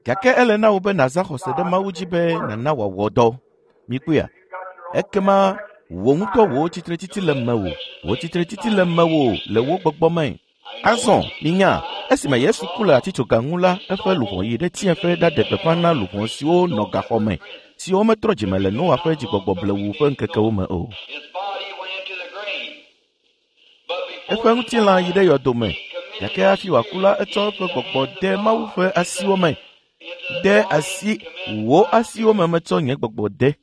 Gake ele na wò be nàzã xɔse ɖe Mawu dzi be nàna wòawɔ dɔ. Mikpɔea? Ekema wò ŋutɔ wò tsitretsitsi le mewò. Wò tsitretsitsi le mewò le wò gbɔgbɔ me. Azɔ, minya, esime Yesu ku le atitsoga ŋu la, eƒe luʋɔ yi ɖe tsiẽƒe ɖaɖe gbeƒã na luʋɔ siwo nɔ gaxɔ me, siwo metrɔ dzime le Noa ƒe dzigbɔgbɔ blewu ƒe ŋkekewo me o. His body went into the grave. But before Eƒe ŋutilã yi ɖe yɔdo me, gake hafi wòaku la, etsɔ eƒe gbɔgbɔ de Mawu ƒe asiwo me. De asi wò asiwo me metsɔ nye gbɔgbɔ de.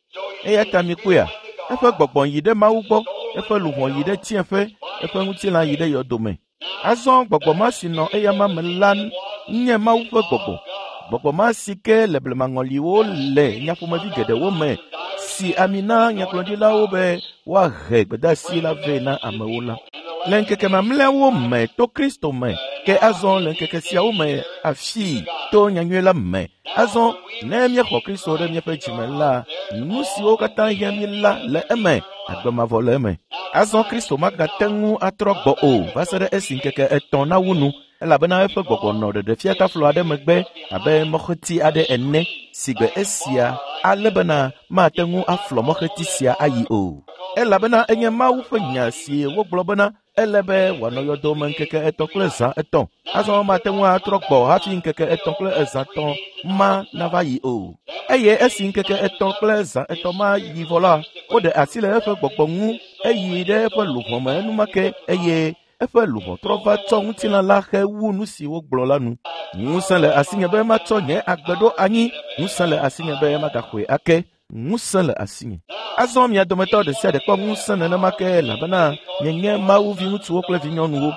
Eya ta mikpɔea, eƒe gbɔgbɔ yi ɖe Mawu gbɔ, eƒe luʋɔ yi ɖe tsiẽƒe, eƒe ŋutilã yi ɖe yɔdo me. Azɔ gbɔgbɔ ma si nɔ eyama me la nye Mawu ƒe gbɔgbɔ. Gbɔgbɔ ma si ke le blemaŋɔliwo le nyaƒomevi geɖewo me si ami na nyagblɔɖilawo be woahe gbedeasi la vɛ na amewo la. Le ŋkeke mamlɛawo me to Kristo me, ke azɔ le ŋkeke siawo me afii to nyanyui la me. Azɔ ne míexɔ Kristo ɖe míaƒe dzime la, nu siwo katã hiã mí la le eme, agbe mavɔ le eme. Azɔ Kristo magate ŋu atrɔ gbɔ o va se ɖe esi ŋkeke etɔ̃ nawu nu, elabena eƒe gbɔgbɔ nɔ ɖeɖefiataflo aɖe megbe abe mɔxeti aɖe ene si gbe esia ale bena mate ŋu aflɔ mɔxeti sia ayi o. Elabena enye Mawu ƒe nya si wogblɔ bena ele be wòanɔ yɔdo me ŋkeke etɔ̃ kple zã etɔ̃. Azɔ mate ŋu atrɔ gbɔ hafi ŋkeke etɔ̃ kple ezã tɔ̃ ma nava yi o. Eye esi ŋkeke etɔ̃ kple zã etɔ̃ ma yi vɔ la, woɖe asi le eƒe gbɔgbɔ ŋu eyi ɖe eƒe luʋɔ me enumake eye eƒe luʋɔ trɔ va tsɔ ŋutilã la hewu nu si wogblɔ la nu. Ŋusẽ le asinye be matsɔ nye agbe ɖo anyi, ŋusẽ le asinye be magaxɔe ake, ŋusẽ le asinye. Azɔ mia dometɔ ɖe sia ɖe kpɔ ŋusẽ nenema ke elabena mienye Mawu viŋutsuwo kple vinyɔnuwo.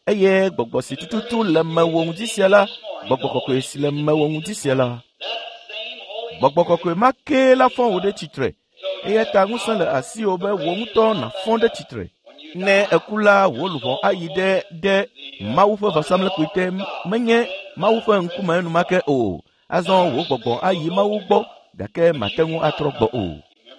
Eye gbɔgbɔ si tututu le mewò ŋdi sia la, gbɔgbɔ kɔkɔe si le mewò ŋdi sia la, gbɔgbɔ kɔkɔe ma kee la fɔ wò ɖe tsitre. Eya ta ŋusẽ le asiwò be wò ŋutɔ nàfɔ ɖe tsitre. Ne èku la, wò luʋɔ ayi ɖe ɖe Mawu ƒe vɔsamlekpui te, menye Mawu ƒe ŋkume enumake o. Azɔ wò gbɔgbɔ ayi Mawu gbɔ, gake mate ŋu atrɔ gbɔ o.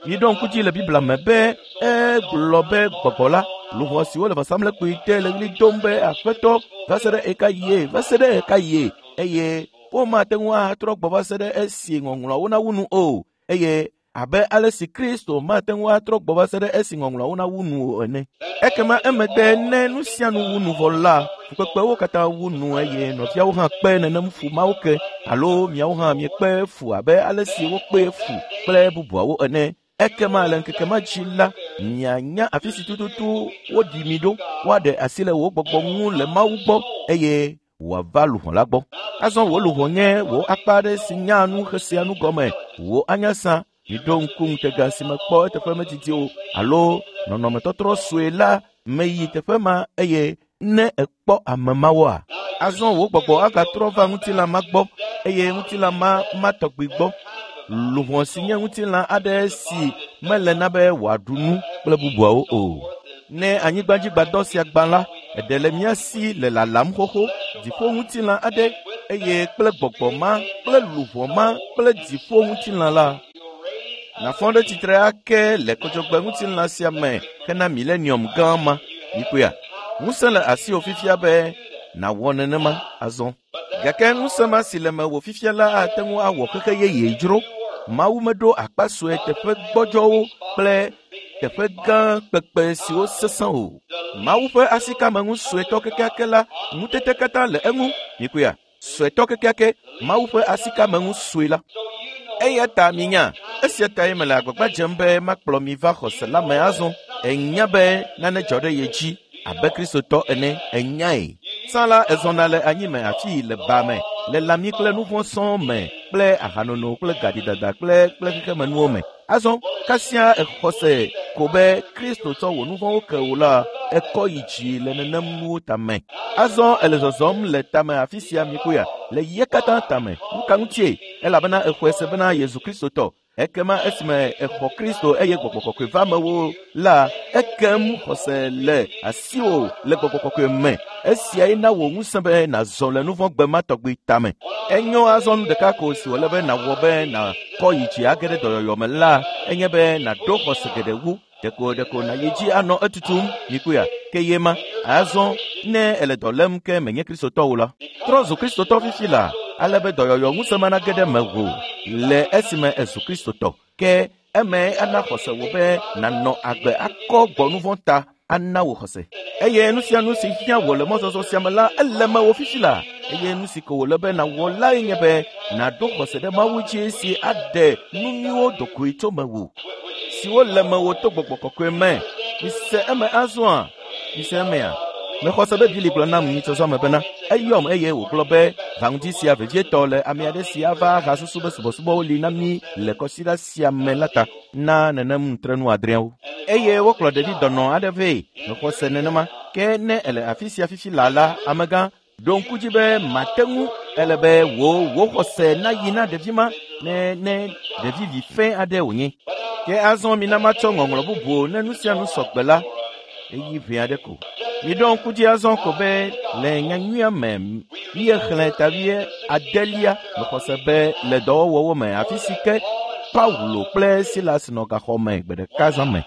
Miɖo ŋku dzi le Biblia me be egblɔ be gbɔgbɔ la, luʋɔ siwo le vɔsamlekpui te le ɣli dom be Aƒetɔ, va se ɖe ɣekaɣie, va se ɖe ɣekaɣie, eye womate ŋu atrɔ gbɔ va se ɖe esi ŋɔŋlɔawo nawu nu o. Eye abe ale si Kristo mate ŋu atrɔ gbɔ va se ɖe esi ŋɔŋlɔawo nawu nu o ene. Ekema emegbe ne nu sia nu wu nu vɔ la, fukpekpewo katã wu nu eye nɔviawo hã kpe nenem fu mawo ke alo miawo hã miekpe fu abe ale si wokpe fu kple bubuawo ene. Ekema le ŋkeke ma dzi la, mianya afi si tututu woɖi mi ɖo, woaɖe asi le wò gbɔgbɔ ŋu le Mawu gbɔ eye wòava luʋɔ la gbɔ. Azɔ wò luʋɔ nye wò akpa aɖe si nyaa nu xesea nu gɔme, wò anyasa. Miɖo ŋku ŋutega si mekpɔ eteƒe medidi o alo nɔnɔmetɔtrɔ sue la meyi teƒe ma eye ne èkpɔ ame mawoa, azɔ wò gbɔgbɔ agatrɔ va ŋutilã ma gbɔ eye ŋutilã ma ma tɔgbi gbɔ. Luʋɔ si nye ŋutilã aɖe si mele na be wòaɖu nu kple bubuawo o. Ne anyigbadzigbadɔ sia gbã la, eɖe le mía si le lalam xoxo, dziƒoŋutilã aɖe, eye kple gbɔgbɔ ma kple luʋɔ ma kple dziƒoŋutilã la, nàfɔ ɖe tsitre ake le kɔdzɔgbeŋutilã sia me hena milenium gã ma. Mikpɔea? Ŋusẽ le asiwò fifia be nàwɔ nenema azɔ. Gake ŋusẽ ma si le mewò fifia la ate ŋu awɔ xexe yeye dzro. Mawu meɖo akpa sue teƒe gbɔdzɔwo kple teƒe gã kpekpe siwo sesẽ o. Mawu ƒe asikameŋu suetɔ kekeake la, ŋutete katã le eŋu. Mikpɔea? Suetɔ kekeake, Mawu ƒe asikameŋu sue la. Eya ta minya, esia tae mele agbagba dzem be makplɔ mi va xɔse la me azɔ. Ènya be nane dzɔ ɖe ye dzi abe Kristotɔ ene, ènyae. Tsã la, èzɔna le anyi me afii le ba me, le lãmi kple nu vɔ̃ sɔŋ me, kple ahanono kple gaɖidada kple kple xexemenuwo me. Azɔ, kasia èxɔ se ko be Kristo tsɔ wò nu vɔ̃wo ke wò la, èkɔ yi dzi le nenem nuwo tame. Azɔ èle zɔzɔm le tame afi sia mikpɔea, le ye katã tame. Nu ka ŋutie? Elabena èxɔe se bena Yezu Kristotɔ. Ekema esime èxɔ Kristo eye Gbɔgbɔ Kɔkɔe va mewò la, ekem xɔse le asiwò le Gbɔgbɔ Kɔkɔe me. Esiae na wò ŋusẽ be nàzɔ le nu vɔ̃ gbe ma tɔgbi tame. Enyo azɔ nu ɖeka ko si wòle be nàwɔ be nàkɔ yi dzi age ɖe dɔyɔyɔ me la enye be nàɖo xɔse geɖe wu. Ɖeko ɖeko nàyi dzi anɔ etutum, mikpɔea, ke ye ma. Azɔ ne èle dɔ lém ke menye Kristotɔ o la, trɔ zu Kristotɔ fifi laa. Ale be dɔyɔyɔ ŋusẽ ma nage ɖe mewò le esime ezu Kristotɔ. Ke eme ana xɔse wò be nànɔ agbe akɔ gbɔ nu vɔ̃ ta ana wò xɔse. Eye nu sia nu si hiã wò le mɔzɔzɔ sia me la, ele mewò fifi la. Eye nu si ko wòle be nàwɔ lae nye be nàɖo xɔse ɖe Mawu dzi si aɖe nu nyuiwo dogoe tso mewò, siwo le mewò to gbɔgbɔ kɔkɔe me. Mise eme azɔa? Mise emea? Mexɔ se be Bili gblɔ nam nyitsɔzɔ me bena eyɔm eye wògblɔ be va ŋdi sia vevietɔ le ame aɖe si ava hasusu be subɔsubɔwo li na mí le kɔsiɖa sia me la ta na nenem nutrenu adreawo. Eye wokplɔ ɖevi dɔnɔ aɖe vɛ. Mexɔ se nenema. Ke ne ele afi sia fifi laa la, amegã, ɖo ŋku dzi be mate ŋu ele be wò wò xɔse nayi na ɖevi ma ne ne ɖevi vi fɛ̃ aɖe wònye. Ke azɔ mina matsɔ ŋɔŋlɔ bubu ne nu sia nu sɔgbe la, eyi ʋɛ aɖe ko. Miɖo ŋku dzi azɔ ko be le nyanyuia me míexlẽ ta 8 mexɔ se be le dɔwɔwɔwo me afi si ke Paulo kple Silas nɔ gaxɔ me gbe ɖeka zã me.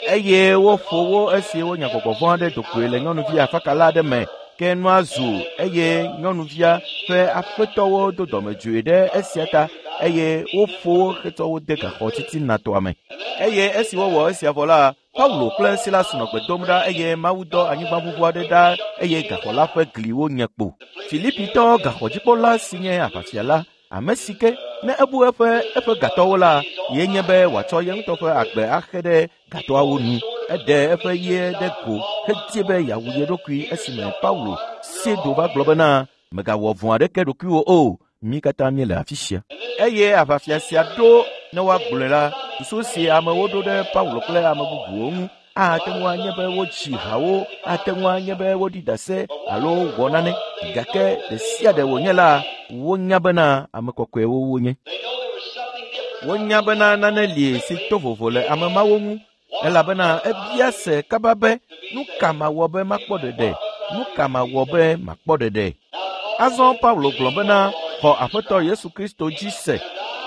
Eye woƒo wo esi wonya gbɔgbɔ vɔ̃ aɖe do goe le nyɔnuvi afakala aɖe me. Ke nua zu eye nyɔnuvia ƒe aƒetɔwo do dɔmedzoe ɖe esia ta eye woƒo wo hetsɔ wo de gaxɔ titinatɔa me. Eye esi wowɔ esia vɔ la, Paulo kple Silas nɔ gbe dom ɖa eye Mawu dɔ anyigbaʋuʋu aɖe ɖa eye gaxɔ la ƒe gliwo nye kpo. Filipitɔ gaxɔdzikpɔla si nye aʋafia la, ame si ke ne ebu eƒe eƒe gatɔwo la, ye nye be wòatsɔ ye ŋutɔ ƒe agbe axe ɖe gatɔawo nu. Eɖe eƒe ɣie ɖe go hedie be yeawu ye ɖokui esime Paulo sie do va gblɔ bena mègawɔ vɔ̃ aɖeke ɖokuiwò o, mí katã míele afi sia. Eye aʋafia sia ɖo ne woagblɔe la, susu si amewo ɖo ɖe Paulo kple ame bubuwo ŋu ate ŋu anye be wodzi hawo, ate ŋu anye be woɖi ɖase alo wɔ nane. Gake ɖe sia ɖe wònye la, wonya bena ame kɔkɔewo wonye. Wonya bena nane li si to vovo le ame mawo ŋu elabena ebia se kaba be nu ka mawɔ be makpɔ ɖeɖe? Nu ka mawɔ be makpɔ ɖeɖe? Azɔ Paulo gblɔ bena xɔ Aƒetɔ Yesu Kristo dzi se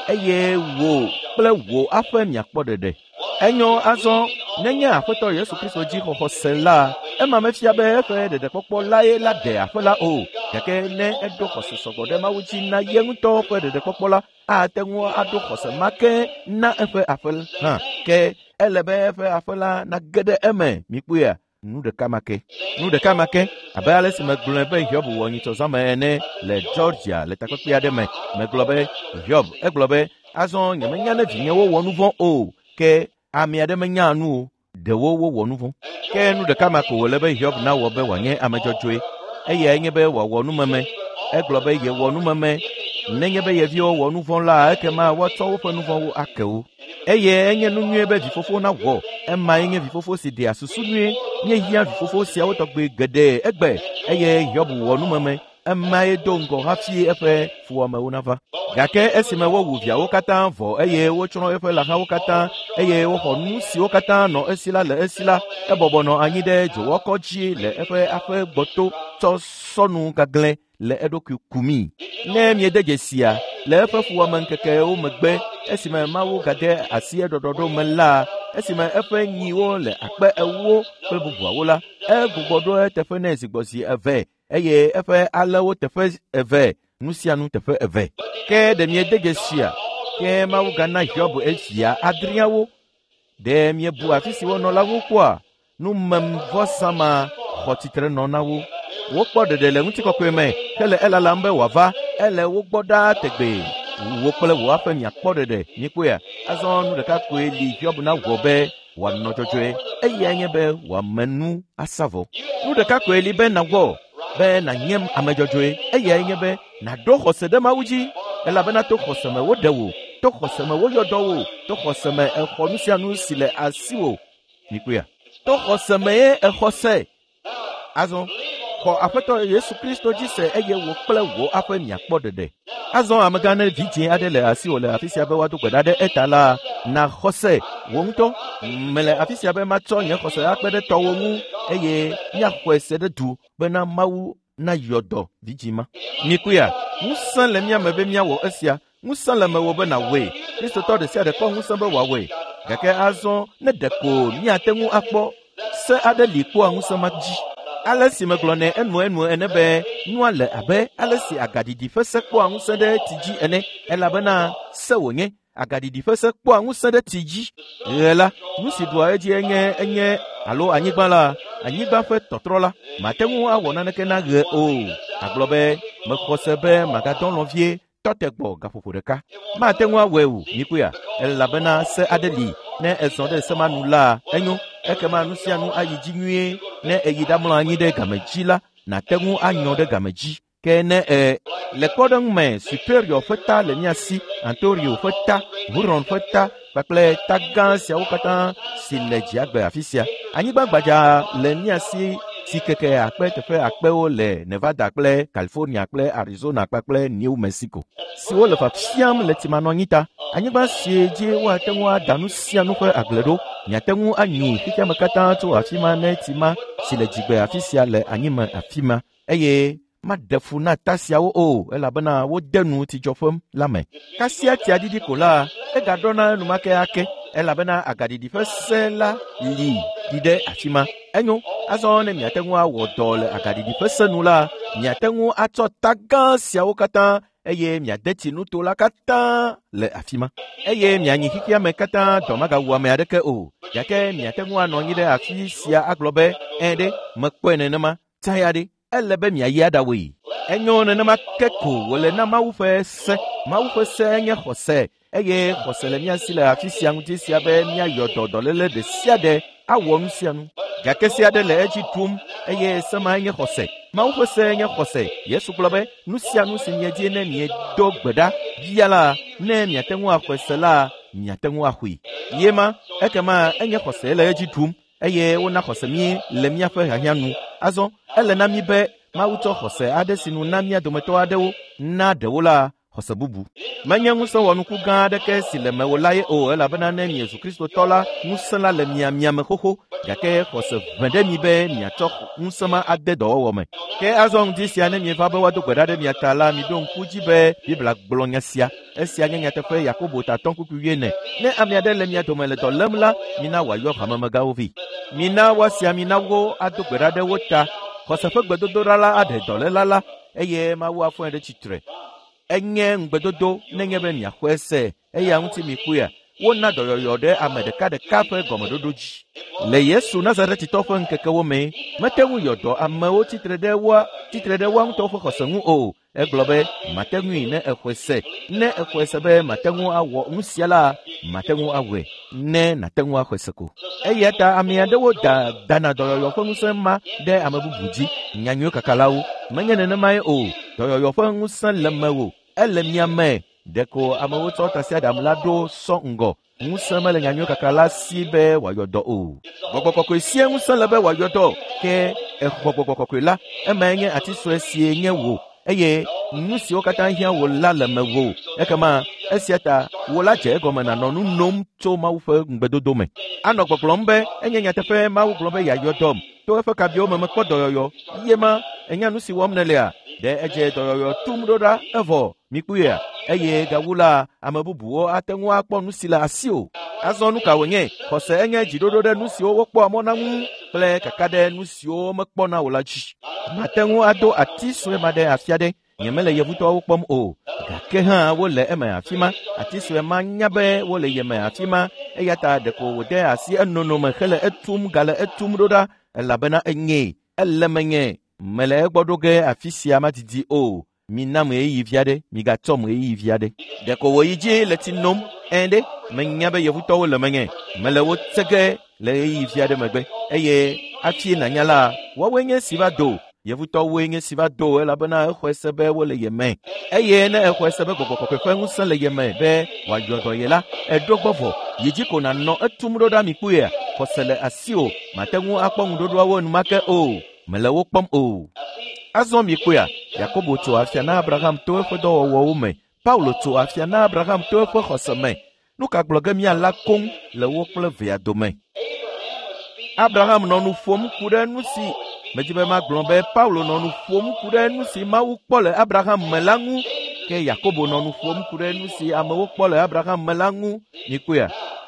eye wò kple wò aƒe miakpɔ ɖeɖe. Enyo azɔ nenye Aƒetɔ Yesu Kristo dzi xɔxɔ se la, ema mefia be eƒe ɖeɖekpɔkpɔ lae la ɖe aƒe la o. Gake ne eɖo xɔse sɔgbɔ ɖe Mawu dzi na ye ŋutɔ ƒe ɖeɖekpɔkpɔ la, ate ŋu aɖo xɔse ma ke na eƒe aƒe hã. Ke ele be eƒe aƒe la nage ɖe eme. Mikpɔea? Nu ɖeka ma ke. Nu ɖeka ma ke abe ale si megblɔe be Hiob wɔ nyitsɔzãme ene le Georgia le takpekpe aɖe me. Megblɔ be Hiob egblɔ be azɔ nyemenya ne vinyewo wɔ nu vɔ̃ o, ke ame aɖe menya nu o. Ɖewo wowɔ nu vɔ̃. Ke nu ɖeka ma ko wòle be Hiob nawɔ be wòanye ame dzɔdzɔe. Eyae nye be wòawɔ numeme. Egblɔ be yewɔ numeme. Nenye be ye viwo wɔ nu vɔ̃ la, ekema woatsɔ woƒe nu vɔ̃wo ake wo. Eye enye nu nyuie be vifofo nawɔ. Emae nye vifofo si ɖea susu nyuie. Míehiã vifofo siawo tɔgbe geɖe egbe eye Hiob wɔ numeme. Emae do ŋgɔ hafi eƒe fuwɔamewo nava. Gake esime wowu viawo katã vɔ eye wotsrɔ̃ eƒe lãhawo katã eye woxɔ nu siwo katã nɔ esi la le esi la, ebɔbɔ nɔ anyi ɖe dzowɔkɔ dzi le eƒe aƒe gbɔto tsɔ sɔnu gaglɛ le eɖokui kumii. Ne miede dzesia, le eƒe fuwɔameŋkekewo megbe, esime Mawu gade asi eɖɔɖɔɖo me la, esime eƒe nyiwo le 40,000 kple bubuawo la, egbugbɔ ɖo eteƒe nɛ zi gbɔ zi eve eye eƒe alẽwo teƒe eve, nu sia nu teƒe eve. Ke ɖe miede dzesia? Ke Mawu gana Hiob evia adreawo. Ɖe miebu afi si wonɔ la ŋu kpɔa? Numemvɔsa ma xɔ tsitre nɔ na wo. Wokpɔ ɖeɖe le ŋutikɔkɔe me hele elalam be wòava. Ele wo gbɔ ɖaa tegbee. Wò kple wò aƒe miakpɔ ɖeɖe. Mikpɔea? Azɔ nu ɖeka koe li Hiob nawɔ be wòanɔ dzɔdzɔe. Eyae nye be wòame nu asa vɔ. Nu ɖeka koe li be nawɔ be nànye ame dzɔdzɔe. Eyae nye be nàɖo xɔse ɖe Mawu dzi. Elabena to xɔse me woɖe wò, to xɔse me woyɔ dɔ wò, to xɔse me èxɔ nu sia nu si le asiwò. Mikpɔea? To xɔse me ye èxɔ se. Azɔ xɔ Aƒetɔ Yesu Kristo dzi se eye wò kple wò aƒe miakpɔ ɖeɖe. Azɔ amegã ne vidzĩ aɖe le asiwò le afi sia be woado gbe ɖa ɖe eta la, na xɔse wò ŋutɔ. Mele afi sia be matsɔ nye xɔse akpe ɖe tɔwò ŋu eye míaxɔe se ɖe du bena Mawu nayɔ dɔ vidzĩ ma. Mikpɔea? Ŋusẽ le mía me be míawɔ esia. Ŋusẽ le mewò be nàwɔe. Kristotɔ ɖe sia ɖe kpɔ ŋusẽ be wòawɔe. Gake azɔ ne ɖeko míate ŋu akpɔ se aɖe li kpɔa ŋusẽ ma dzi. Ale si megblɔ nɛ enuenu ene be nua le abe ale si agaɖiɖi ƒe se kpɔa ŋusẽ ɖe tsi dzi ene elabena se wònye. Agaɖiɖi ƒe se kpɔa ŋusẽ ɖe tsi dzi. Ɣe la, nu si ɖua edzi enye alo anyigba la, anyigba ƒe tɔtrɔ la, mate ŋu awɔ naneke na ɣe o. Agblɔ be mexɔ se be magadɔ lɔ̃ vie tɔte gbɔ gaƒoƒo ɖeka. Mate ŋu awɔe o, mikpɔea, elabena se aɖe li. Ne ezɔ ɖe se ma nu la, enyo. Ekema nu sia nu ayi dzi nyuie. Ne eyi ɖamlɔ anyi ɖe game dzi la, nàte ŋu anyɔ ɖe game dzi. Ke ne le kpɔɖeŋu me Superior ƒe ta le mía si, Ontario ƒe ta, Huron ƒe ta kpakple ta gã siawo katã si le dziagbe afi sia. Anyigba gbadza le mía si si keke akpe teƒe akpewo le Nevada kple California kple Arizona kpakple New Mexico siwo le fafiam le tsimanɔanyi ta. Anyigba si dzi woate ŋu ada nu sia nu ƒe agble ɖo. Miate ŋu anyi xexeame katã tso afi ma ne tsi ma si le dzigbe afi sia le anyime afi ma eye maɖe fu na ta siawo o elabena wode nu tsidzɔƒe la me. Kasia tsia ɖiɖi ko la, egaɖɔna enumake ake elabena agaɖiɖi ƒe se la li ɖi ɖe afi ma. Enyo, azɔ ne miate ŋu awɔ dɔ le agaɖiɖi ƒe se nu la, miate ŋu atsɔ ta gã siawo katã eye miade tsi nuto la katã le afi ma. Eye mianyi xexeame katã dɔ magawu ame aɖeke o. Gake miate ŋu anɔ anyi ɖe afi sia agblɔ be, “Ẽ ɖe, mekpɔe nenema, tsa ya ɖe, ele be miayi aɖawɔe.” Enyo nenema ke ko wòle na Mawu ƒe se. Mawu ƒe se nye xɔse eye xɔse le mía si le afi sia ŋuti sia be míayɔ dɔ dɔléle ɖe sia ɖe awɔ nu sia nu. Gake se aɖe le edzi ɖum eye se mae nye xɔse. Mawu ƒe se nye xɔse. Yesu gblɔ be nu sia nu si miedi ne miedo gbe ɖa bia la, ne miate ŋu axɔe se la, miate ŋu axɔe. Ye ma, ekema enye xɔse le edzi ɖum eye wona xɔse mí le míaƒe hiahiã nu. Azɔ ele na mí be Mawu tsɔ xɔse aɖe si nu na mía dometɔ aɖewo na ɖewo la xɔse bubu. Menye ŋusẽ wɔnuku gã aɖeke si le mewò la ye o elabena ne miezu Kristotɔ la, ŋusẽ la le mia miame xoxo gake xɔse ʋẽ ɖe mi be miatsɔ ŋusẽ ma ade dɔwɔwɔ me. Ke azɔ ŋdi sia ne mieva be woado gbe ɖa ɖe mia ta la, miɖo ŋku dzi be Biblia gblɔ nya sia. Esia nye nyateƒe Yakobo tatɔ kpukpui wuiene. Ne ame aɖe le mia dome le dɔ lém la, mina wòayɔ hamemegãwo vɛ. Mina woasi ami na wo ado gbe ɖa ɖe wo ta. Xɔse ƒe gbedodoɖa la aɖe dɔléla la eye Mawu afɔe ɖe tsitre. Enye ŋugbedodo nenye be miaxɔe se eya ŋuti mikpɔea, wona dɔyɔyɔ ɖe ame ɖekaɖeka ƒe gɔmeɖoɖo dzi. Le Yesu Nazaretitɔ ƒe ŋkekewo me, mete ŋu yɔ dɔ amewo tsitre ɖe woa ŋutɔwo ƒe xɔse ŋu o. Egblɔ be mate ŋui ne exɔe se. Ne exɔe se be mate ŋu awɔ nu sia la, mate ŋu awɔe. Ne nàte ŋu axɔe se ko. Eya ta ame aɖewo dana dɔyɔyɔ ƒe ŋusẽ ma ɖe ame bubu dzi. Nyanyuie kakalawo. Menye nenemae o. Dɔyɔyɔ ƒe ŋusẽ le mewò. Ele mia me. Ɖeko amewo tsɔ tasiaɖam la ɖo sɔ ŋgɔ. Ŋusẽ mele nyanyuie kakala si be wòayɔ dɔ o. Gbɔgbɔ kɔkɔe sie ŋusẽ le be wòayɔ dɔ. Ke exɔ gbɔgbɔ kɔkɔe la, emae nye ati sue sie nye wò eye nu siwo katã hiã wò la le mewò. Ekema esia ta wò la dze egɔme nànɔ nu nom tso Mawu ƒe ŋugbedodo me. Anɔ gbɔgblɔm be enye nyateƒe Mawu gblɔ be yeayɔ dɔm. To eƒe kabiwo me mekpɔ dɔyɔyɔ. Ye ma, ènya nu si wɔm nèlea? Ɖe edze dɔyɔyɔ tum ɖo ɖa evɔ mikpɔea? Eye gawu la, ame bubuwo ate ŋu akpɔ nu si le asiwò. Azɔ nu ka wònye? Xɔse enye dziɖoɖo ɖe nu siwo wokpɔa mɔ na ŋu kple kaka ɖe nu siwo womekpɔna o la dzi. Mate ŋu ado ati sue ma ɖe afi aɖe. Nyemele yevutɔwo kpɔm o, gake hã wole eme afi ma. Ati sue ma nya be wole yeme afi ma eya ta ɖeko wòde asi enono me hele etum gale etum ɖo ɖa elabena enyee. Ele menye. Mele egbɔ ɖo ge afi sia madidi o. Minam ɣeyiɣi vi aɖe, migatsɔm ɣeyiɣi vi aɖe. Ɖeko wòyi dzi le tsi nom. Ẽ ɖe, menya be yevutɔwo le menye. Mele wo tse ge le ɣeyiɣi vi aɖe megbe. Eye hafi nànya la, woawoe nye si va do. Yevutɔwoe nye si va do elabena exɔe se be wole ye me. Eye ne exɔe se be gbɔgbɔ kɔkɔe ƒe ŋusẽ le ye me be wòayɔ dɔ ye la, eɖo gbɔ vɔ. Yi dzi ko nànɔ etum ɖo ɖa mi kpɔea. Xɔse le asiwò. Mate ŋu akpɔ ŋuɖoɖoawo enumake o. Mele wo kpɔm o. Azɔ mikpɔea, Yakobo tso afia na Abraham to eƒe dɔwɔwɔwo me. Paulo tso afia na Abraham to eƒe xɔse me. Nu ka gblɔ ge míala koŋ le wo kple vea dome? Abraham nɔ nu ƒom ku ɖe nu si medzi be magblɔ be Paulo nɔ nu ƒom ku ɖe nu si Mawu kpɔ le Abraham me la ŋu. Ke Yakobo nɔ nu ƒom ku ɖe nu si amewo kpɔ le Abraham me la ŋu. Mikpɔea?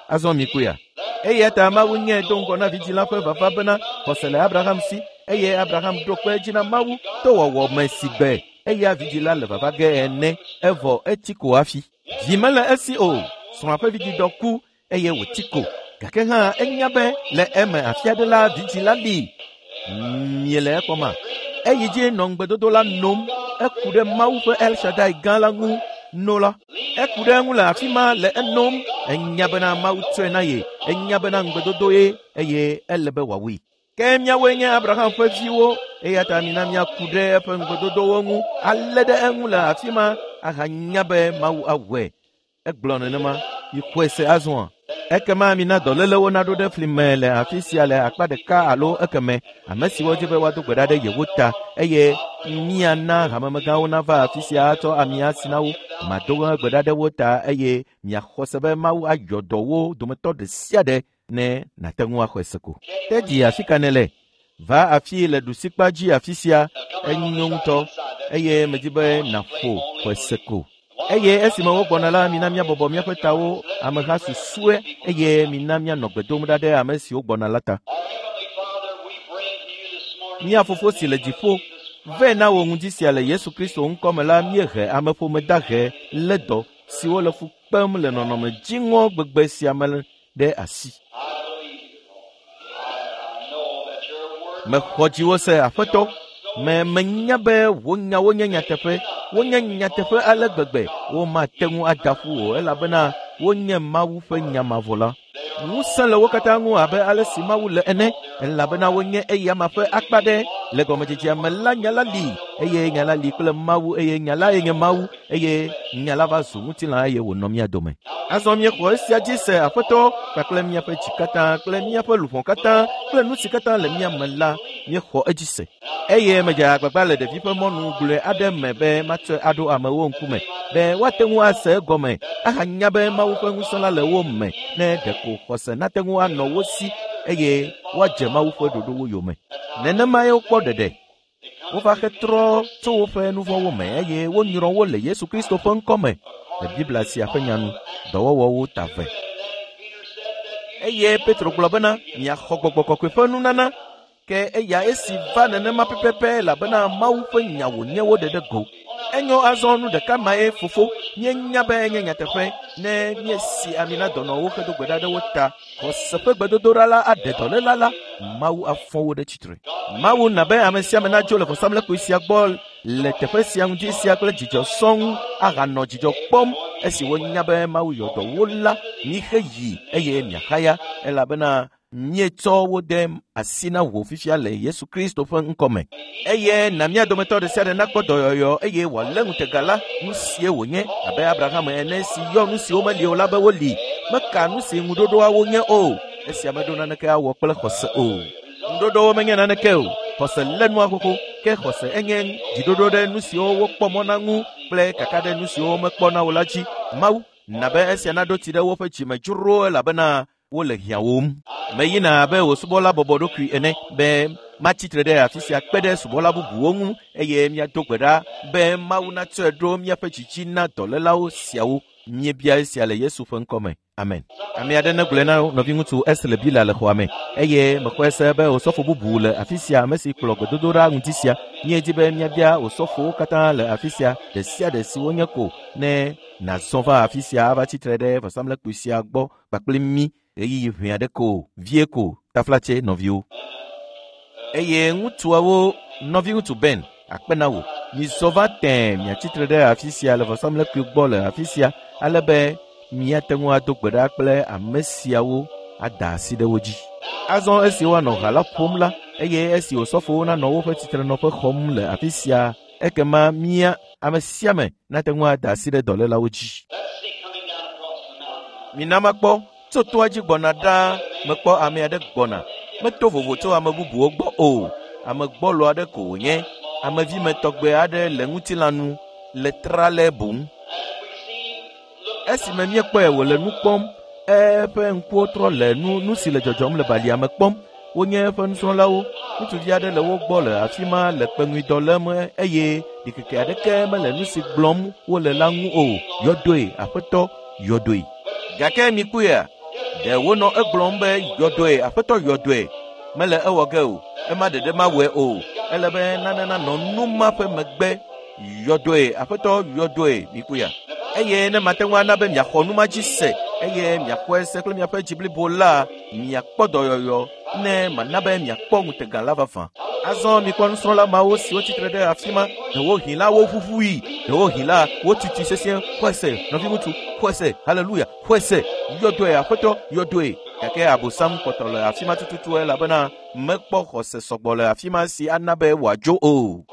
Azɔ mikpɔea? Eya ta Mawu nye do ŋgɔ na vidzĩ la ƒe vava bena xɔse le Abraham si eye Abraham ɖo kpe edzi na Mawu to wɔwɔ me si gbe eya vidzĩ la le vava ge ene evɔ etsi ko hafi. Vi mele esi o, srɔ̃a ƒe vidzidɔ ku eye wòtsi ko. Gake hã enya be le eme afi aɖe la vidzĩ la li. Miele ekpɔma? Eyi dzi nɔ ŋugbedodo la nom. Eku ɖe Mawu ƒe El Shaddai gã la ŋu no la. Eku ɖe eŋu le afi ma le enom. Enya bena Mawu tsɔe na ye. Enya bena ŋugbedodo ye eye ele be wòawui. Ke míawoe nye Abraham ƒe viwo eya ta mina míaku ɖe eƒe ŋugbedodowo ŋu alé ɖe eŋu le afi ma ahanya be Mawu awɔe. Egblɔ nenema. Mixɔe se azɔa? Ekema mina dɔlélewo naɖo ɖe fli me le afi sia le akpa ɖeka alo ekeme ame siwo dzi be woado gbe ɖa ɖe yewo ta eye miana hamemegãwo nava afi sia atsɔ ami asi na wo. Mado gbe ɖa ɖe wo ta eye miaxɔ se be Mawu ayɔ dɔ wo dometɔ ɖe sia ɖe ne nàte ŋu axɔe se ko. Te dzi afi ka nèle? Va afi le ɖusikpa dzi afi sia enyo ŋutɔ eye medi be nàƒo xɔe se ko. Eye esime wogbɔna la, mina míabɔbɔ míaƒe tawo ameha susue eye mina míanɔ gbe dom ɖa ɖe ame siwo gbɔna la ta. Our Heavenly Father, we bring to you this morning Mía fofo si le dziƒo, vɛ na wò ŋdi sia le Yesu Kristo ŋkɔme la míehe ameƒome dahe lé dɔ siwo le fu kpem le nɔnɔme dziŋɔ gbegbe sia me ɖe asi. I believe you, Lord. I know that your word Mexɔ dziwò se Aƒetɔ. Me menya be wò nyawo nye nyateƒe. Wonye nyateƒe ale gbegbe womate ŋu ada ƒu o elabena wonye Mawu ƒe nya mavɔ la. Ŋusẽ le wo katã ŋu abe ale si Mawu le ene elabena wonye eyama ƒe akpa ɖe. Le gɔmedzedzea me la nya la li eye nya la li kple Mawu eye nya lae nye Mawu eye nya la va zu ŋutilã eye wònɔ mía dome. Azɔ míexɔ esia dzi se Aƒetɔ kpakple míaƒe dzi katã kple míaƒe luʋɔ katã kple nu si katã le mía me la míexɔ edzi se. Eye medze agbagba le ɖevi ƒe mɔnu gblɔe aɖe me be matsɔe aɖo amewo ŋkume be woate ŋu ase egɔme ahanya be Mawu ƒe ŋusẽ la le wo me ne ɖeko xɔse nate ŋu anɔ wo si eye woadze Mawu ƒe ɖoɖowo yome. Nenemae wokpɔ ɖeɖe. Wova hetrɔ tso woƒe nu vɔ̃wo me eye wonyrɔ wo le Yesu Kristo ƒe ŋkɔme le Biblia sia ƒe nya nu. Dɔwɔwɔwo ta ve. Eye Petro gblɔ bena miaxɔ gbɔgbɔ kɔkɔe ƒe nunana ke eya esi va nenema pɛpɛpɛ elabena Mawu ƒe nya wònye wo ɖeɖe go. Enyo azɔ nu ɖeka mae fofo míenya be enye nyateƒe ne míesi ami na dɔnɔwo hedo gbe ɖa ɖe wo ta. Xɔse ƒe gbedodoɖa la aɖe dɔléla la, Mawu afɔ wo ɖe tsitre. Mawu na be ame sia ame nadzo le vɔsamlekpui sia gbɔ le teƒe sia ŋdi sia kple dzidzɔ sɔŋ ahanɔ dzidzɔ kpɔm esi wonya be Mawu yɔ dɔ wo la, mixe yi eye miaxaya elabena míetsɔ wo de asi na wò fifia le Yesu Kristo ƒe ŋkɔme. Eye na mía dometɔ ɖe sia ɖe nakpɔ dɔyɔyɔ eye wòalé ŋutega la, nu sie wònye abe Abraham ene si yɔ nu siwo meli o la be woli. Meka nu si ŋuɖoɖoawo nye o. Esia meɖo naneke awɔ kple xɔse o. Ŋuɖoɖowo menye naneke o. Xɔse lé nua xoxo ke xɔse enye dziɖoɖo ɖe nu siwo wokpɔ mɔ na ŋu kple kaka ɖe nu siwo womekpɔ na o la dzi. Mawu na be esia naɖo tsi ɖe woƒe dzime dzro elabena wole hiãwòm. Meyina abe wò subɔla bɔbɔ ɖokui ene be matsi tre ɖe afi sia kpe ɖe subɔla bubuwo ŋu eye míado gbe ɖa be Mawu natsɔe ɖo míaƒe dzidzi na dɔlélawo siawo. Míebia esia le Yesu ƒe ŋkɔme. Amen. Ame aɖe negblɔe na nɔviŋutsu Esle Bila le xɔa me eye mexɔe se be osɔfo bubu le afi sia ame si kplɔ gbedodoɖa ŋdi sia. Míedi be míabia osɔfowo katã le afi sia ɖe sia ɖe si wonye ko ne nàzɔ va afi sia ava tsitre ɖe vɔsamlekpui sia gbɔ kpakple mí ɣeyiɣi ʋɛ aɖe ko vie ko taflatse nɔviwo. Eye ŋutsuawo nɔviŋutsu Ben akpe na wò. Mizɔ va tẽe miatsitre ɖe afi sia le vɔsamlekpui gbɔ le afi sia ale be míate ŋu ado gbe ɖa kple ame siawo ada asi ɖe wo dzi. Azɔ esi woanɔ ha la ƒom la eye esi osɔfowo nanɔ woƒe tsitrenɔƒe xɔm le afi sia ekema mía ame sia ame nate ŋu ada asi ɖe dɔlélawo dzi. Let's see coming down across the mountain. Mina makpɔ tso toa dzi gbɔna ɖaa mekpɔ ame aɖe gbɔna. Meto vovo tso ame bubuwo gbɔ o. Ame gbɔlo aɖe ko wònye. Amevime tɔgbe aɖe le ŋutilã nu le tralɛ boŋ. And we see him look Esime míekpɔe wòle nu kpɔm, eƒe ŋkuwo trɔ le nu nu si le dzɔdzɔm le balia me kpɔm. Wonye eƒe nusrɔ̃lawo. Ŋutsuvi aɖe le wo gbɔ le afi ma le kpeŋuidɔ lém eye ɖikeke aɖeke mele nu si gblɔm wole la ŋu o. Yɔdoe, Aƒetɔ, yɔdoe. Gake mikpɔea? Ɖe wonɔ egblɔm be yɔdɔe, aƒetɔ yɔdɔe. Mele ewɔ ge o. Ema ɖeɖe mawɔe o. Ele be nane nanɔ nu ma ƒe megbe. Yɔdɔe, aƒetɔ yɔdɔe, mikpɔe. Eye ne mate ŋu ana be miaxɔ nu ma dzi se eye miaxɔe se kple miaƒe dzi blibo la, miakpɔ dɔyɔyɔ ne mana be miakpɔ ŋutega la vavã. Azɔ mikpɔ nusrɔ̃la mawo siwo tsitre ɖe afi ma, ɖewohĩ la woʋuʋui, ɖewohĩ la wotutui sesĩe. Xɔe se, nɔviŋutsu, xɔe se, haleluya, xɔe se, yɔdɔe, aƒetɔ, yɔdɔe. Gake Abosam kpɔtɔ le afi ma tututu elabena mekpɔ xɔse sɔgbɔ le afi ma si ana be wòadzo o.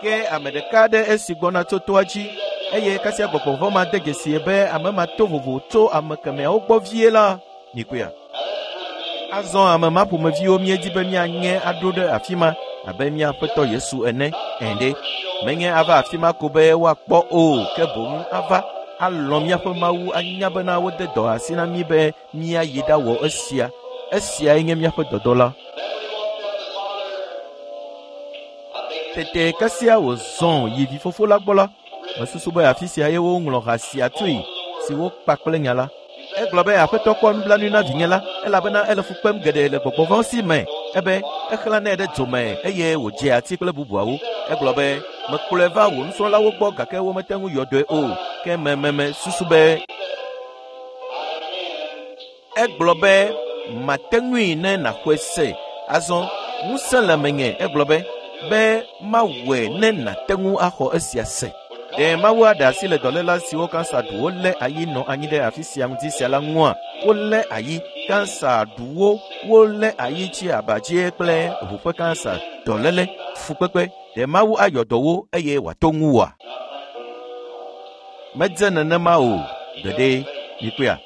Ke ame ɖeka aɖe esi gbɔna tso toa dzi eye kasia gbɔgbɔ vɔ̃ ma de dzesie be ame ma to vovo tso ame kemɛawo gbɔ vie la, mikpɔea. Azɔ ame ma ƒomeviwo míedi be míanye aɖo ɖe afi ma abe mía Aƒetɔ Yesu ene. Ɛ̃ ɖe, menye ava afi ma ko be woakpɔ o, ke boŋ ava alɔ̃ míaƒe Mawu anya bena wode dɔ asi na mí be míayi ɖawɔ esia. Esiae nye míaƒe dɔdɔ la. Tete kasia wòzɔ yi vifofo la gbɔ la, mesusu be afi sia ye woŋlɔ ha sia tsoe si wokpa kple nya la. Egblɔ be aƒetɔ kpɔ nublanui na vinye la elabena ele fu kpem geɖe le gbɔgbɔ vɔ̃ si me. Ebe exlãnɛ ɖe dzo me eye wòdze ati kple bubuawo. Egblɔ be mekplɔe va wò nusrɔ̃lawo gbɔ gake womete ŋu yɔ dɔe o. Ke mememe susu be egblɔ be mate ŋui ne nàxɔe se. Azɔ ŋusẽ le menye. Egblɔ be mawɔe ne nàte ŋu axɔ esia se. Ɖe Mawu aɖe asi le dɔléla siwo kansa ɖu wolé ayi nɔ anyi ɖe afi sia ŋdi sia la ŋua? Wolé ayi, kansa ɖu wo, wolé ayi tsi aba dzie kple ʋu ƒe kansa, dɔléle, fukpekpe. Ɖe Mawu ayɔ dɔ wo eye wòato ŋuwòa? Medze nenema o, gbeɖe, mikpɔea.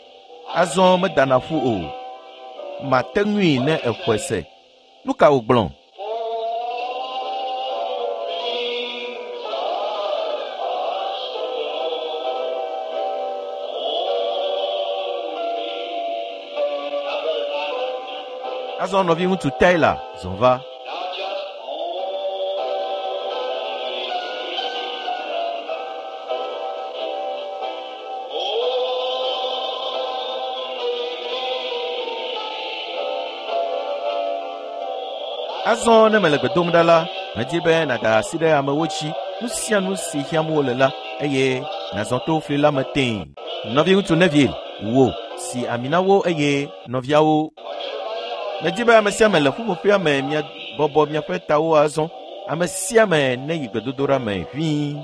Azɔ medana ƒu o. Mate ŋui ne exɔe se. Nu ka wògblɔ? Azɔ nɔviŋutsu Taylor zɔ va. Now just Azɔ ne mele gbe dom ɖa la, medi be nàda asi ɖe amewo dzi, nu sia nu si hiãm wole la, eye nàzɔ to fli la me tẽe. Nɔviŋutsu Neville, wò si ami na wo eye nɔviawo. Medi be ame sia ame le ƒuƒoƒea me miabɔbɔ miaƒe tawo azɔ. Ame sia ame neyi gbedodoɖa me ʋĩi.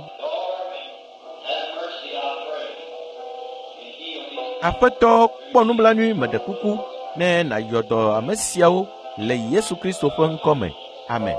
Have mercy, I pray, and heal these. Aƒetɔ kpɔ nublanui meɖe kuku ne nàyɔ dɔ ame siawo le Yesu Kristo ƒe ŋkɔ me. Amen.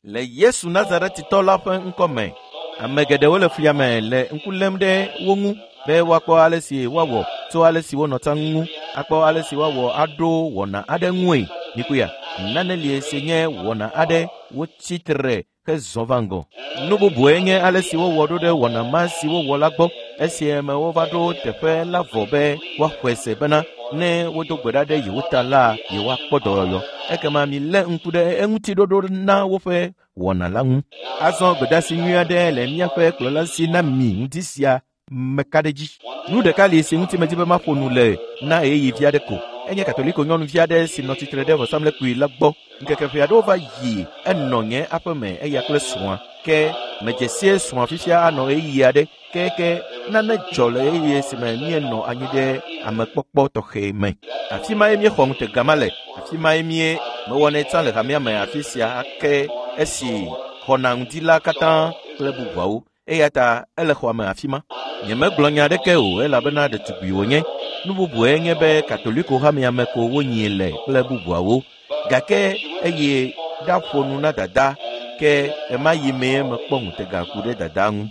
Le Yesu Nazaretitɔ la ƒe ŋkɔ me, ame geɖewo le flia me le ŋku lém ɖe wo ŋu be woakpɔ ale si woawɔ tso ale si wonɔ tsã ŋu, akpɔ ale si woawɔ aɖo wɔna aɖe ŋue. Mikpɔea, nane li si nye wɔna aɖe wotsi tre hezɔ va ŋgɔ. Nu bubue nye ale si wowɔ ɖo ɖe wɔna ma si wowɔ la gbɔ esime wova ɖo teƒe la vɔ be woaxɔe se bena ne wodo gbe ɖa ɖe yewo ta la, yewoakpɔ dɔyɔyɔ. Ekema milé ŋku ɖe eŋuti ɖoɖo na woƒe wɔna la ŋu. Azɔ gbedeasi nyui aɖe le míaƒe kplɔla si na mi ŋdi sia meka ɖe edzi. Nu ɖeka li si ŋuti medi be maƒo nu le na ɣeyiɣi vi aɖe ko. Enye Katoliko nyɔnuvi aɖe si nɔ tsitre ɖe vɔsamlekpui la gbɔ. Ŋkeke ʋɛ aɖewo va yi enɔ nye aƒe me eya kple srɔ̃a. Ke medze sie srɔ̃a fifia anɔ ɣeyiɣi aɖe ke nane dzɔ le ɣeyiɣi si me míenɔ anyi ɖe amekpɔkpɔ tɔxɛ me. Afi mae míexɔ ŋutega ma le. Afi mae mie mewɔnɛ tsã le hamea me afi sia ake esi xɔna ŋdi la katã kple bubuawo. Eya ta ele xɔa me afi ma. Nyemegblɔ nya aɖeke o elabena ɖetugbui wònye. Nu bubue nye be Katoliko hamea me ko wonyii le kple bubuawo. Gake eye ɖaƒo nu na dada ke ɣemaɣi mee mekpɔ ŋutega ku ɖe dada ŋu.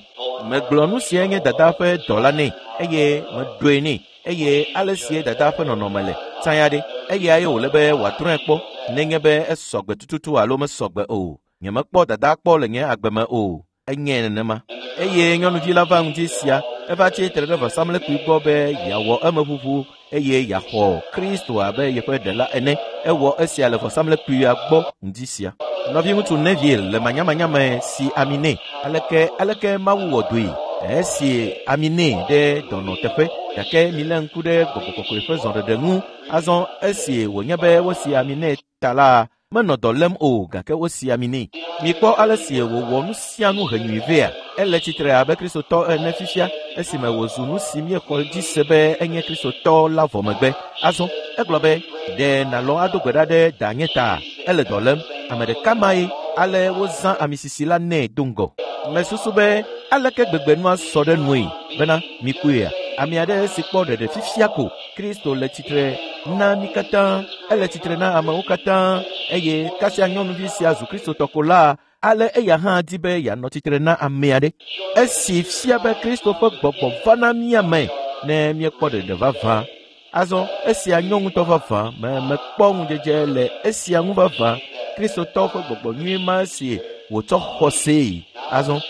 Megblɔ nu siae nye dada ƒe dɔ la nɛ eye meɖoe nɛ eye ale sie dada ƒe nɔnɔme le tsã ya ɖe. Eyae wòle be wòatrɔe kpɔ nenye be esɔgbe tututu alo mesɔgbe o. Nyemekpɔ dada kpɔ le nye agbe me o. Enye nenema. Eye nyɔnuvi la va ŋdi sia, eva tsi tre ɖe vɔsamlekpui gbɔ be yeawɔ emeʋuʋu eye yeaxɔ Kristo abe yeƒe ɖela ene. Ewɔ esia le vɔsamlekpuia gbɔ ŋdi sia. Nɔviŋutsu Neville le manyamanya me si ami nɛ. Aleke aleke Mawu wɔ doe? Esi ami nɛ ɖe dɔnɔ teƒe gake milé ŋku ɖe gbɔgbɔ kɔkɔe ƒe zɔɖeɖe ŋu. Azɔ esi wònye be wosi ami nɛ ta la, menɔ dɔ lém o gake wosi ami nɛ. Mikpɔ ale si wòwɔ nu sia nu henyui vea. Ele tsitre abe Kristotɔ ene fifia esime wòzu nu si míexɔ dzi se be enye Kristotɔ la vɔ megbe. Azɔ egblɔ be, ɖe nàlɔ̃ ado gbe ɖa ɖe danye ta? Ele dɔ lém. Ame ɖeka mae ale wozã amisisi la nɛ do ŋgɔ. Mesusu be aleke gbegbe nua sɔ ɖe nue bena mikpɔea ame aɖe si kpɔ ɖeɖe fifia ko Kristo le tsitre na mí katã, ele tsitre na amewo katã eye kasia nyɔnuvi sia zu Kristotɔ ko la, ale eya hã di be yeanɔ tsitre na ame aɖe. Esi fia be Kristo ƒe gbɔgbɔ va na mía me ne míekpɔ ɖeɖe vavã. Azɔ esia nyɔ ŋutɔ vavã me mekpɔ ŋudzedze le esia ŋu vavã. Kristotɔwo ƒe gbɔgbɔ nyui ma si wòtsɔ xɔ see. Azɔ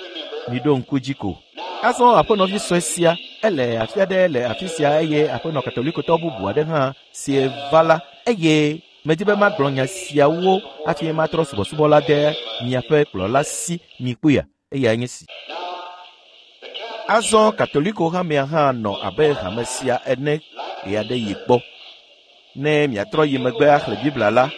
miɖo ŋku dzi ko. Azɔ aƒenɔvi sue sia ele afi aɖe le afi sia eye aƒenɔ katolikotɔ bubu aɖe hã si va la eye medi be magblɔ nya siawo hafi matrɔ subɔsubɔ la de miaƒe kplɔla si mikpɔea eyae nye si. Azɔ katoliko hamea hã nɔ abe hame sia ene ɣeaɖeɣi kpɔ. Ne miatrɔ yi megbe axlẽ Biblia la,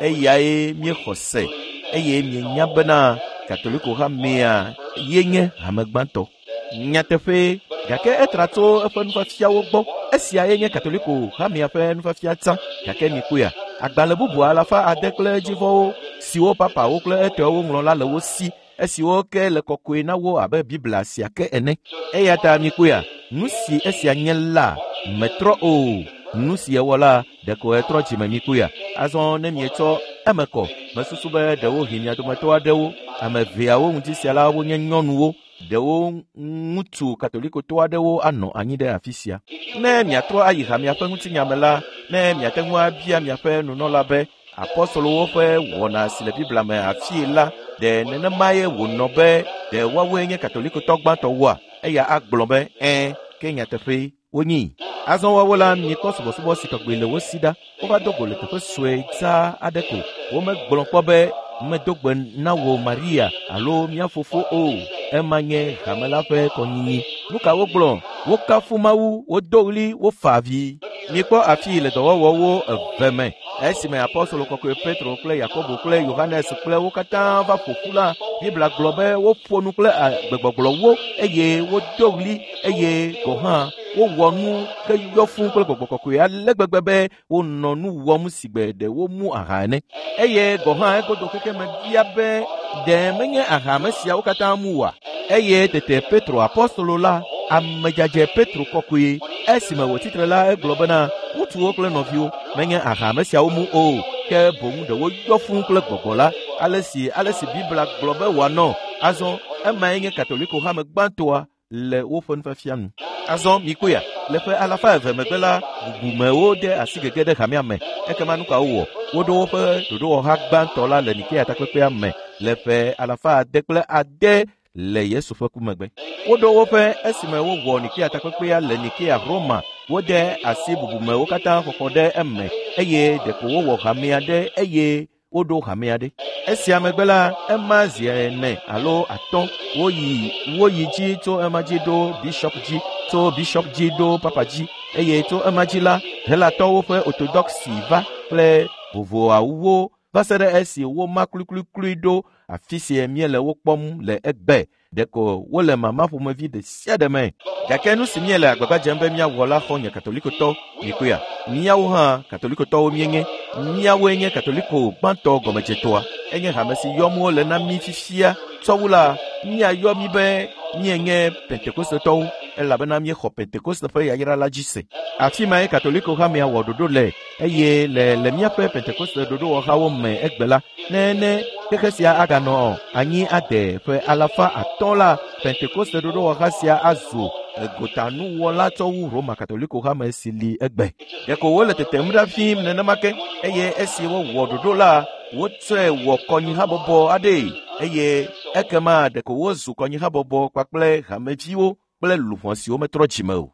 eyae míexɔ se eye mienya bena katoliko hamea ye nye hame gbãtɔ. Nyateƒee, gake etra tso eƒe nufiafiawo gbɔ. Esiae nye katoliko hamea ƒe nufiafia tsã. Gake mikpɔea, agbalẽ bubu alafa ade kple edzivɔwo siwo papawo kple etɔewo ŋlɔ la le wo si esiwo ke le kɔkɔe na wo abe Biblia sia ke ene. Eya ta mikpɔea, nu si esia nye la metrɔ o. Nu si ewɔ la, ɖeko etrɔ dzime mikpɔea. Azɔ ne mietsɔ eme kɔ, mesusu be ɖewohĩ mia dometɔ aɖewo, ame eveawo ŋuti sia la wonye nyɔnuwo, ɖewo ŋutsu katolikotɔ aɖewo anɔ anyi ɖe afi sia. Ne miatrɔ ayi hamea ƒe ŋutinya me la, ne miate ŋu abia miaƒe nunɔla be apɔstolowo ƒe wɔna si le Biblia me afii la, ɖe nenemae wònɔ be ɖe woawoe nye katolikotɔ gbãtɔwoa? Eya agblɔ be ɛ̃, ke nyateƒee wonyii. Azɔ woawo la, mikpɔ subɔsubɔ si tɔgbi le wo si ɖa. Wova do go le teƒe sue dzaa aɖe ko. Womegblɔ kpɔ be medo gbe na wò Maria alo mía fofo o. Ema nye hame la ƒe kɔnyinyi. Nu ka wogblɔ? Wokafu Mawu, wodo ɣli, wofa avi. Mikpɔ afii le dɔwɔwɔwo eve me. Esime apɔstolo kɔkɔe Petro kple Yakobo kple Yohanes kple wo katã va ƒo ƒu la, Biblia gblɔ be woƒo nu kple gbegbɔgblɔwo eye wodo ɣli eye gɔ̃ hã wowɔ nu heyɔ fũu kple gbɔgbɔ kɔkɔe ale gbegbe be wonɔ nu wɔm si gbe ɖe womu aha ene. Eye gɔ̃ hã egodo xexeme bia be ɖe menye aha ame siawo katã mu oa? Eye tete Petro apɔstolo la, amedzadze Petro kɔkɔe, esime wòtsitre la egblɔ bena, ŋutsuwo kple nɔviwo, menye aha ame siawo mu o, ke boŋ ɖe woyɔ fũu kple gbɔgbɔ la, ale si ale si Biblia gblɔ be wòanɔ. Azɔ emae nye katoliko hame gbãtɔa le woƒe nufiafia nu. Azɔ mikpɔea, le ƒe alafa eve megbe la, bubumewo de asi gege ɖe hamea me. Ekema nu ka wowɔ? Woɖo woƒe ɖoɖowɔha gbãtɔ la le Nikea takpekpea me le ƒe alafa ade kple ade le Yesu ƒe ku megbe. Woɖo woƒe esime wowɔ Nikea takpekpea le Nikea Roma. Wode asi bubumewo katã xɔxɔ ɖe eme eye ɖeko wowɔ hamea ɖe eye woɖo hamea ɖe. Esia megbe la, ema zi ene alo atɔ̃ woyi woyi dzi tso ema dzi ɖo bishop dzi, tso bishop dzi ɖo papa dzi eye tso ema dzi la, Helatɔwo ƒe orthodoxy va kple vovoawo va se ɖe esi woma kluikluiklui ɖo afi si míele wo kpɔm le egbe. Ɖeko wole mama ƒomevi ɖe sia ɖe me. Gake nu si míele agbagba dzem be míawɔ la xɔ nye katolikotɔ mikpɔea. Míawo hã katolikotɔwo míenye. Míawoe nye katoliko gbãtɔ gɔmedzetɔa. Enye hame si yɔm wole na mí fifia. Tsɔwu la, míayɔ mí be míenye pentekostetɔwo elabena míexɔ pentekoste ƒe yayra la dzi se. Afi mae katoliko hamea wɔ ɖoɖo le eye le le míaƒe pentekoste ɖoɖowɔhawo me egbe la, ne ne xexe sia aganɔ anyi ade ƒe alafa atɔ̃ la, pentekoste ɖoɖowɔha sia azu egotanuwɔla tsɔ wu Roma katoliko hame si li egbe. Ɖeko wole tetem ɖa fim nenema ke eye esi wowɔ ɖoɖo la, wotsɔe wɔ kɔnyihabɔbɔ aɖee eye ekema ɖeko wozu kɔnyihabɔbɔ kpakple hameviwo kple luʋɔ siwo metrɔ dzime o.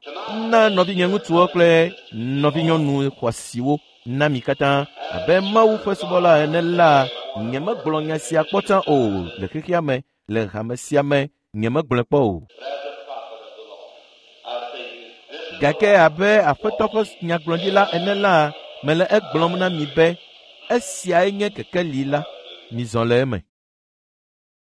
Na nɔvinye ŋutsuwo kple nɔvinyɔnu xɔasiwo na mi katã abe Mawu ƒe subɔla ene la, Nyemegblɔ nya sia kpɔ tsã o le xexea me, le hame sia me, nyemegblɔe kpɔ o. Gake abe Aƒetɔ ƒe nyagblɔɖila ene la, mele egblɔm na mi be esiae nye kekeli la. Mizɔ le eme.